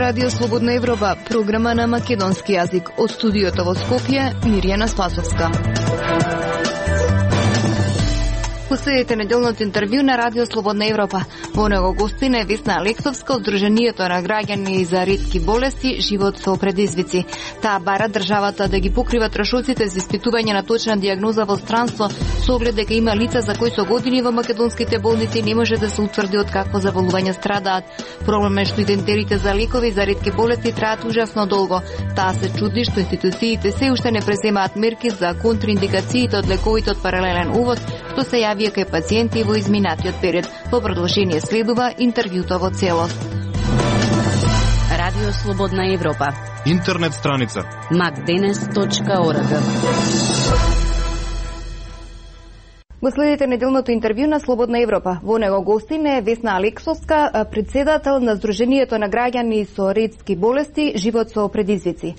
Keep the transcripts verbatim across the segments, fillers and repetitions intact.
Радио Слободна Европа, програма на македонски јазик. Од студиото во Скопје, Мирјана Спасовска. Последите неделното интервју на Радио Слободна Европа. Во него гостина е Весна Алексовска од Сдруженијето на граѓани за ретки болести Живот со предизвици. Таа бара државата да ги покрива трошоците за испитување на точна дијагноза во странство, со оглед дека има лица за кои со години во македонските болници не може да се утврди од какво заболување страдаат. Проблем е што и тендерите за лекови за ретки болести траат ужасно долго. Таа се чуди што институциите се уште не преземаат мерки за контраиндикациите од лековите од паралелен увоз, што се јави кај пациенти во изминатиот период. Во продолжение следува интервјуто во целост. Радио Слободна Европа. Интернет страница макденес точка орг. Го следите неделното интервју на Слободна Европа. Во него гостин е Весна Алексовска, председател на Сдруженијето на граѓани со ретки болести Живот со предизвици.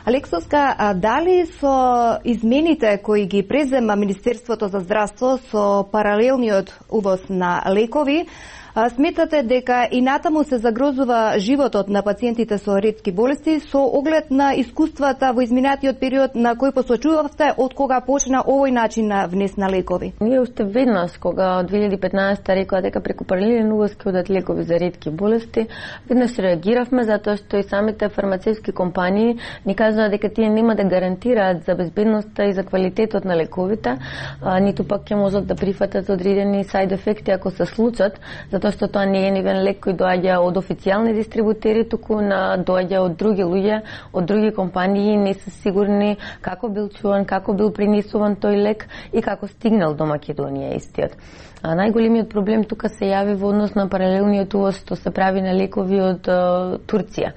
Алексовска, дали со измените кои ги презема Министерството за здравство со паралелниот увоз на лекови, сметате дека и натаму се загрозува животот на пациентите со ретки болести со оглед на искуствата во изминатиот период на кој посочувавте од кога почна овој начин на внес на лекови? Ние уште веднаш, кога од две илјади и петнаесета рекоа дека преку паралелен увоз ќе одат лекови за ретки болести, веднаш реагиравме затоа што и самите фармацевски компании ни кажаа дека тие нема да гарантираат за безбедноста и за квалитетот на лековите, а, ниту пак ќе можат да прифатат одредени сайд ефекти ако се случат, затоа што тоа не е нивен лек кој доаѓа од официјални дистрибутери, туку на доаѓа од други луѓе, од други компании, не се сигурни како бил чуван, како бил принесуван тој лек и како стигнал до Македонија истиот. А најголемиот проблем тука се јави во однос на паралелниот увоз што се прави на лекови од а, Турција.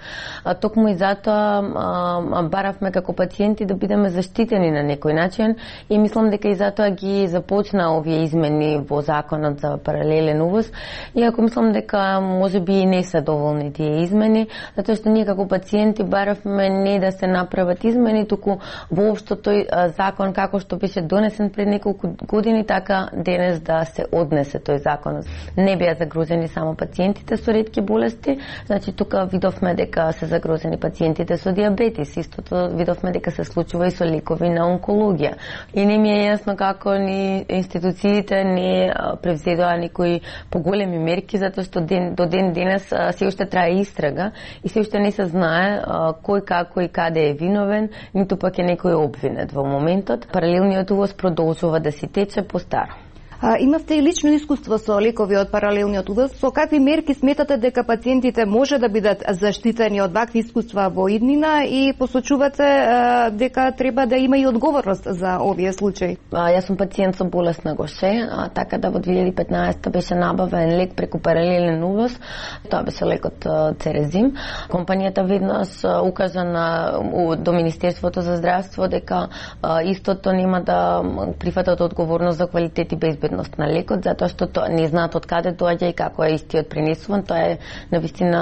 А, токму и затоа а, баравме како пациенти да бидеме заштитени на некој начин и мислам дека и затоа ги започна овие измени во законот за паралелен увоз. Иако мислам дека можеби и не се доволни тие измени, затоа што ние како пациенти баравме не да се направат измени, туку воопшто тој а, закон како што беше донесен пред неколку години, така денес да се однесе тој закон. Не беа загрозени само пациентите со ретки болести, значи тука видовме дека се загрозени пациентите со диабетис, истото видовме дека се случува и со лекови на онкологија. И не ми е јасно како ни институциите не превзедоа никои поголеми мерки, затоа што ден, до ден денес се уште трае истрага и се уште не се знае а, кој, како и каде е виновен, ниту пак е некој обвинет во моментот. Паралелниот увоз продолжува да си тече по старо. А, имавте и лично искуство со лекови од паралелниот увоз. Со какви мерки сметате дека пациентите може да бидат заштитени од вакви искуства во иднина и посочувате а, дека треба да има и одговорност за овие случаи? А, јас сум пациент со болест на Гоше, а, така да во две илјади и петнаесета беше набавен лек преку паралелен увоз. Тоа беше лекот Церезим. Компанијата веднаш укажа на до Министерството за здравство дека а, истото нема да прифатат одговорност за квалитет и безбедност на лекот, затоа што тоа не знаат од каде доаѓа и како е истиот пренесуван. Тоа е навистина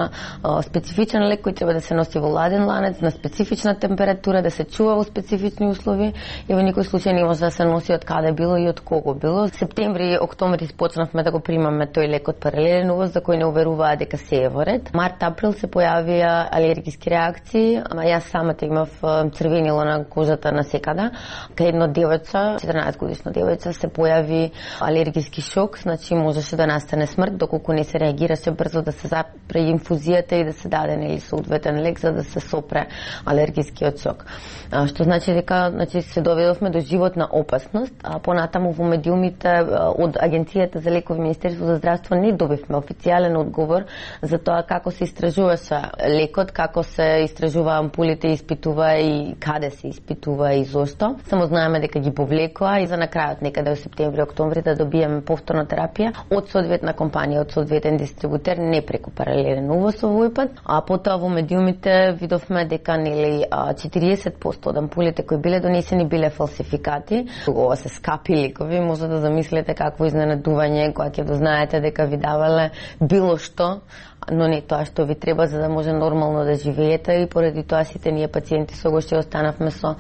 специфичен лек кој треба да се носи во ладен ланец, на специфична температура, да се чува во специфични услови и во никој случај не може да се носи од каде било и од кого било. Септември, октомври почнавме да го примаме тој лек од паралелен увоз за кој не уверуваа дека се е во ред. Март, април се појавија алергиски реакции. Јас самата имав црвенило на кожата на секада. Кај едно девојче, четрнаесет годишно девојче, се појави алергиски шок, значи можеше да настане смрт доколку не се реагираше брзо да се запре инфузијата и да се даде нели соодветен лек за да се сопре алергискиот шок. А, што значи дека значи се доведовме до животна опасност, а понатаму во медиумите од Агенцијата за лекови Министерство за здравство не добивме официјален одговор за тоа како се истражуваше лекот, како се истражува ампулите, испитува и каде се испитува и зошто. Само знаеме дека ги повлекоа и за на крајот некаде во септември, октомври да добиеме повторна терапија од соодветна компанија, од соодветен дистрибутер, не преку паралелен увоз овој пат. А потоа во медиумите видовме дека нели четириесет проценти од ампулите кои биле донесени биле фалсификати. Ова се скапи лекови, може да замислите какво изненадување кога ќе дознаете дека ви давале било што, но не тоа што ви треба за да може нормално да живеете и поради тоа сите ние пациенти со Гоше останавме со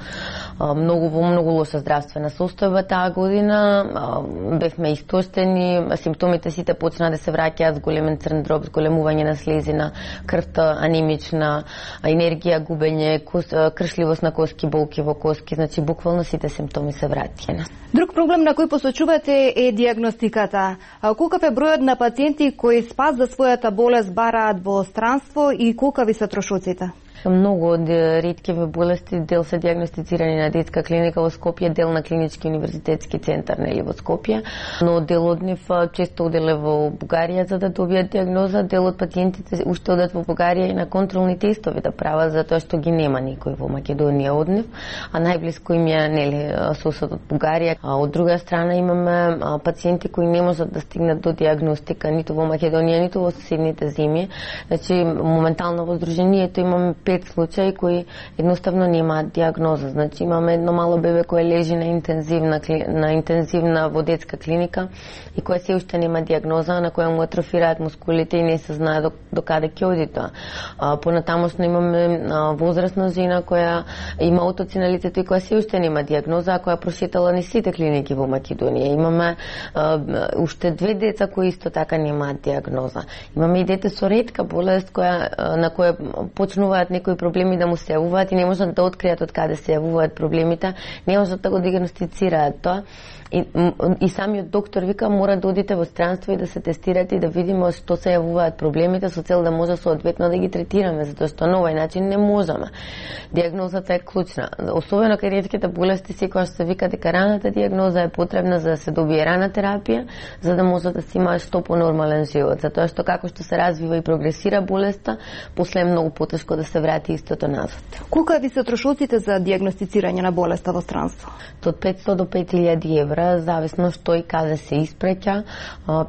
а, многу во многу лоша здравствена состојба таа година, а, бевме истоштени, симптомите сите почнаа да се враќаат, зголемен црн дроб, зголемување на слезина, крвта анемична, енергија губење, кршливост на коски, болки во коски, значи буквално сите симптоми се враќаат. Друг проблем на кој посочувате е диагностиката. Колкав е бројот на пациенти кои спас за својата болест бараат во странство и колкави се трошоците? Многу од реткиве болести дел се диагностицирани на детска клиника во Скопје, дел на клинички универзитетски центар нели во Скопје, но дел од нив често оделе во Бугарија за да добијат диагноза, дел од пациентите уште одат во Бугарија и на контролни тестови да прават затоа што ги нема никој во Македонија од нив, а најблиску им е нели соседот Бугарија. А од друга страна имаме пациенти кои не можат да стигнат до диагностика ниту во Македонија, ниту во соседните земји. Значи моментално во здруженијето имаме пет случаи кои едноставно немаат диагноза. Значи имаме едно мало бебе кое лежи на интензивна на интензивна во детска клиника и кое се уште нема диагноза, на која му атрофираат мускулите и не се знае до, до каде ќе оди тоа. Понатамошно имаме а, возрастна жена која има отоци на лицето и која се уште нема диагноза, а која прошетала ни сите клиники во Македонија. Имаме а, уште две деца кои исто така немаат диагноза. Имаме и дете со ретка болест која на која почнуваат некои проблеми да му се јавуваат и не можат да откријат од каде се јавуваат проблемите, не можат да го диагностицираат тоа. И, и самиот доктор вика мора да одите во странство и да се тестирате и да видиме што се јавуваат проблемите со цел да може соодветно да ги третираме, затоа што на овој начин не можеме. Диагнозата е клучна. Особено кај ретките болести секогаш се вика дека раната диагноза е потребна за да се добие рана терапија, за да може да се има што понормален живот, затоа што како што се развива и прогресира болеста, после е многу потешко да се врати истото назад. Колку ви се трошоците за диагностицирање на болеста во странство? Од петстотини до пет илјади евра, зависно што и каде се испреќа.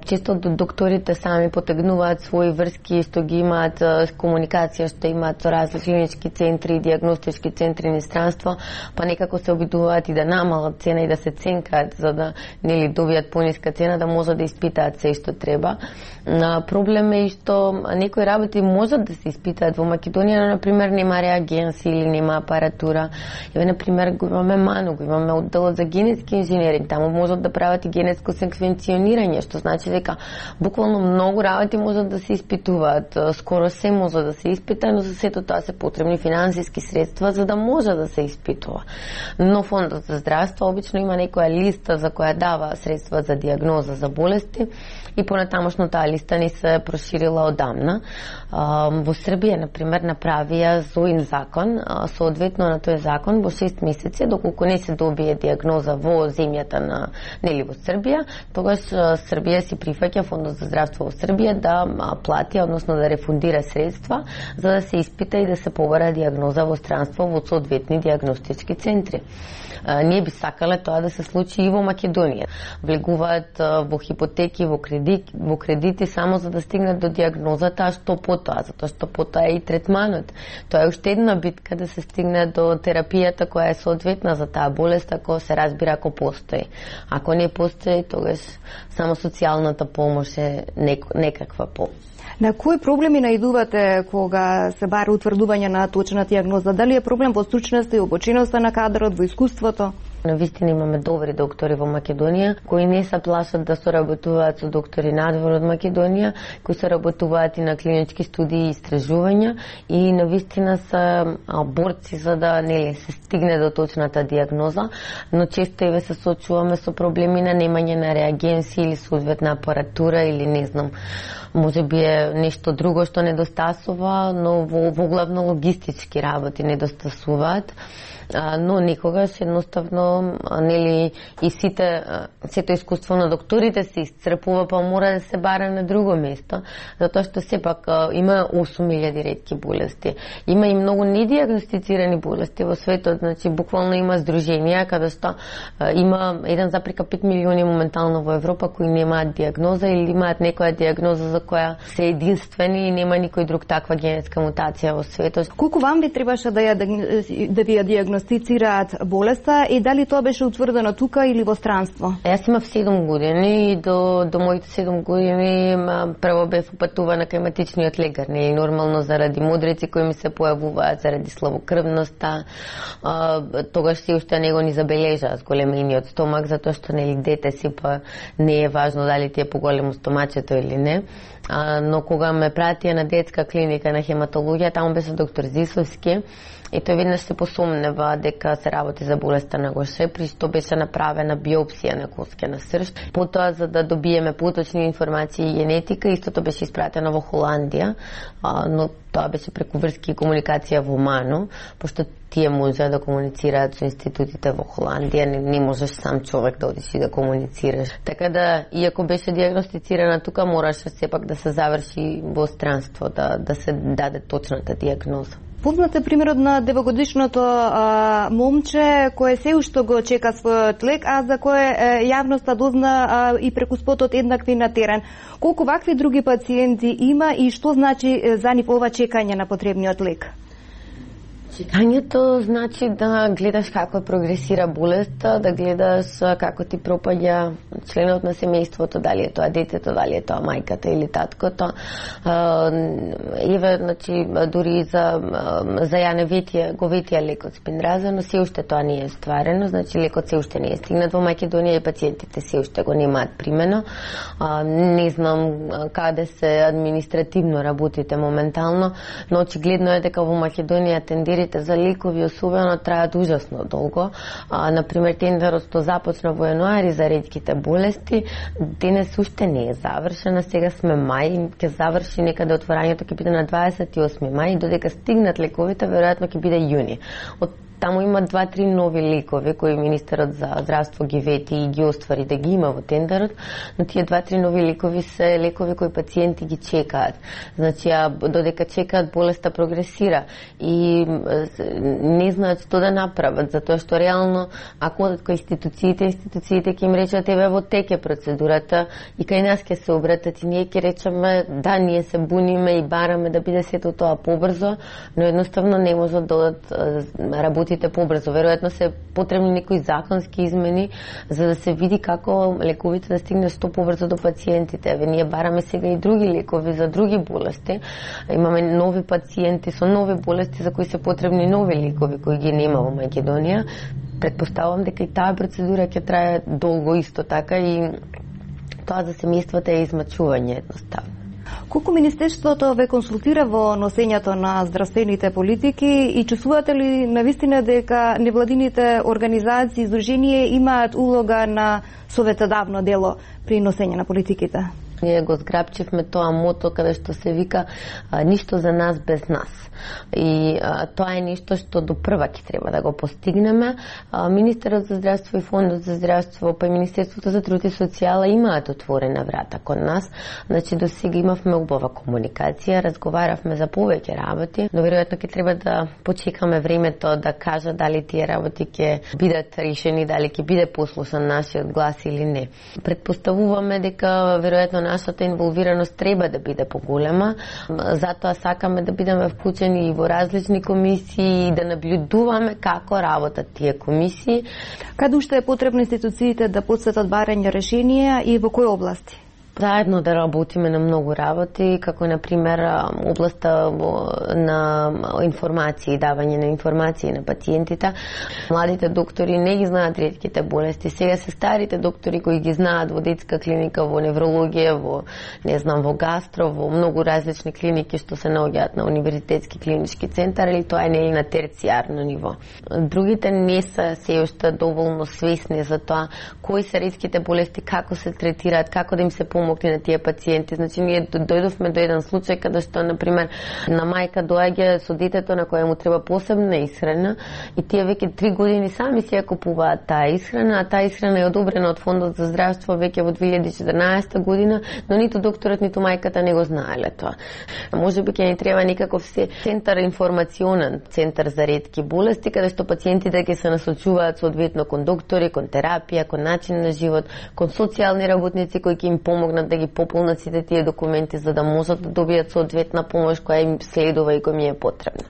Често докторите сами потегнуваат своји врски што ги имаат комуникација, што имаат со различни клинички центри и диагностички центри на странство, па некако се обидуваат и да намалат цена и да се ценкаат за да нели добијат пониска цена да можат да испитаат се што треба. Проблем е и што некои работи можат да се испитаат во Македонија, но на пример нема реагенси или нема апаратура. Еве на пример го имаме МАНУ, го имаме одделот за генетски инженеринг, таму можат да прават и генетско секвенционирање, што значи дека буквално многу работи можат да се испитуваат. Скоро се може да се испита, но за сето тоа се потребни финансиски средства за да може да се испитува. Но Фондот за здравство обично има некоја листа за која дава средства за диагноза за болести и понатамошно таа листа не се проширила одамна. Во Србија, на пример, направија ЗОИН закон, соодветно на тој закон во шест месеци, доколку не се добие диагноза во земјата на нели во Србија, тогаш Србија си прифаќа Фондот за здравство во Србија да плати, односно да рефундира средства за да се испита и да се побара диагноза во странство во соодветни диагностички центри. Ние би сакале тоа да се случи и во Македонија. Влегуваат во хипотеки, во кредити, во кредити само за да стигнат до диагнозата, а што потоа, затоа што потоа е и третманот. Тоа е уште една битка да се стигне до терапијата која е соодветна за таа болест, ако се разбира ако постои. Ако не постои, тогаш само социјалната помош е нек, некаква помош. На кои проблеми наидувате кога се бара утврдување на точна диагноза? Дали е проблем во стручноста и обученоста на кадрот, во искуството? Навистина имаме добри доктори во Македонија, кои не се плашат да соработуваат со доктори надвор од Македонија, кои соработуваат и на клинички студии и истражувања и навистина се борци за да нели се стигне до точната диагноза, но често и ве се соочуваме со проблеми на немање на реагенси или соодветна апаратура или не знам, може би е нешто друго што недостасува, но во, во главно логистички работи недостасуваат. Но никогаш едноставно нели и сите сето искуство на докторите се исцрпува, па мора да се бара на друго место, затоа што сепак има осум илјади ретки болести. Има и многу недиагностицирани болести во светот, значи буквално има здруженија каде што има еден запрека пет милиони моментално во Европа кои немаат диагноза или имаат некоја диагноза за која се единствени и нема никој друг таква генетска мутација во светот. Колку вам ви требаше да ја да ви ја диагностицирате диагностицираат болеста и дали тоа беше утврдено тука или во странство? Јас имав седум години и до, до моите седум години прво бев упатувана кај матичниот лекар. Не е нормално заради мудрици кои ми се појавуваат, заради слабокрвноста. А, тогаш се уште него ни забележаа с големиниот стомак, затоа што нели дете си па не е важно дали ти е поголемо стомачето или не. А, но кога ме пратија на детска клиника на хематологија, таму беше доктор Зисовски и тој веднаш се посомнева дека се работи за болеста на Гоше, при што беше направена биопсија на коскена срж. Потоа, за да добиеме поточни информации и генетика, истото беше испратено во Холандија, а, но тоа беше преку врски и комуникација во МАНО, пошто тие може да комуницираат со институтите во Холандија, не, не можеш сам човек да одиш и да комуницираш. Така да, иако беше диагностицирана тука, мораше сепак да се заврши во странство, да, да се даде точната диагноза. Познат е примерот на девогодишното а, момче кое се уште го чека својот лек, а за кое е, јавноста дозна а, и преку спотот еднакви на терен. Колку вакви други пациенти има и што значи за нив ова чекање на потребниот лек? Чекањето значи да гледаш како прогресира болеста, да гледаш како ти пропаѓа членот на семејството, дали е тоа детето, дали е тоа мајката или таткото. Еве, значи, дури за, за Јане ветија, го ветија лекот Спинраза, но се уште тоа не е стварено, значи лекот се уште не е стигнат во Македонија и пациентите се уште го немаат примено. Не знам каде се административно работите моментално, но очигледно е дека во Македонија тендерите за лекови особено траат ужасно долго. А, например, тендерот што започна во јануари за ретките болести, денес уште не е завршена, сега сме мај, ќе заврши некаде отворањето ќе биде на дваесет и осми мај, додека стигнат лековите, веројатно ќе биде јуни. Од Таму има два-три нови лекови кои министерот за здравство ги вети и ги оствари да ги има во тендерот, но тие два-три нови лекови се лекови кои пациенти ги чекаат. Значи, а додека чекаат, болеста прогресира и не знаат што да направат, затоа што реално, ако одат кај институциите, институциите ќе им речат, еве во теке процедурата и кај нас ќе се обратат и ние ќе речеме, да, ние се буниме и бараме да биде сето тоа побрзо, но едноставно не можат да одат работи побрзо. Веројатно се потребни некои законски измени за да се види како лековите да стигнат што побрзо до пациентите. Еве ние бараме сега и други лекови за други болести. Имаме нови пациенти со нови болести за кои се потребни нови лекови кои ги нема во Македонија. Предпоставувам дека и таа процедура ќе трае долго исто така и тоа за семејствата е измачување едноставно. Колку Министерството ве консултира во носењето на здравствените политики и чувствувате ли навистина дека невладините организации и здруженија имаат улога на советодавно дело при носење на политиките? Ние го зграбчивме тоа мото каде што се вика а, ништо за нас без нас. И а, тоа е нешто што до прва ќе треба да го постигнеме. А, Министерот за здравство и Фондот за здравство, па и Министерството за труд и социјала имаат отворена врата кон нас. Значи до сега имавме убава комуникација, разговаравме за повеќе работи, но веројатно ќе треба да почекаме времето да кажа дали тие работи ќе бидат решени, дали ќе биде послушан нашиот глас или не. Предпоставуваме дека веројатно нашата инволвираност треба да биде поголема, затоа сакаме да бидеме вклучени и во различни комисии и да наблюдуваме како работат тие комисии. Каде уште е потребно институциите да подсетат барање решенија и во кои области? Заедно да работиме на многу работи, како на пример областа на информации, давање на информации на пациентите. Младите доктори не ги знаат ретките болести. Сега се старите доктори кои ги знаат во детска клиника, во неврологија, во не знам, во гастро, во многу различни клиники што се наоѓаат на универзитетски клинички центар, или тоа е нели на терцијарно ниво. Другите не се се уште доволно свесни за тоа кои се ретките болести, како се третираат, како да им се помогне на тие пациенти. Значи, ние дојдовме до еден случај каде што, например, на мајка доаѓа со детето на која му треба посебна исхрана и тие веќе три години сами си ја купуваат таа исхрана, а таа исхрана е одобрена од Фондот за здравство веќе во две илјади и четрнаесета година, но ниту докторот, ниту мајката не го знаеле тоа. Може би ќе ни треба некаков се центар информационен, центар за ретки болести, каде што пациентите ќе се насочуваат соодветно кон доктори, кон терапија, кон начин на живот, кон социјални работници кои ќе им помогнат да ги пополнат сите тие документи за да можат да добијат соодветна помош која им следува и која ми е потребна.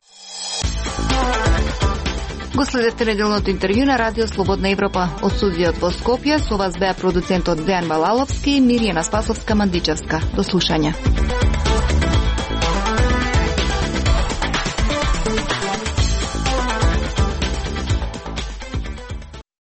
Го следете неделното интервју на Радио Слободна Европа. Од студиот во Скопје со вас беа продуцентот Дејан Балаловски и Миријана Спасовска-Мандичевска. До слушање.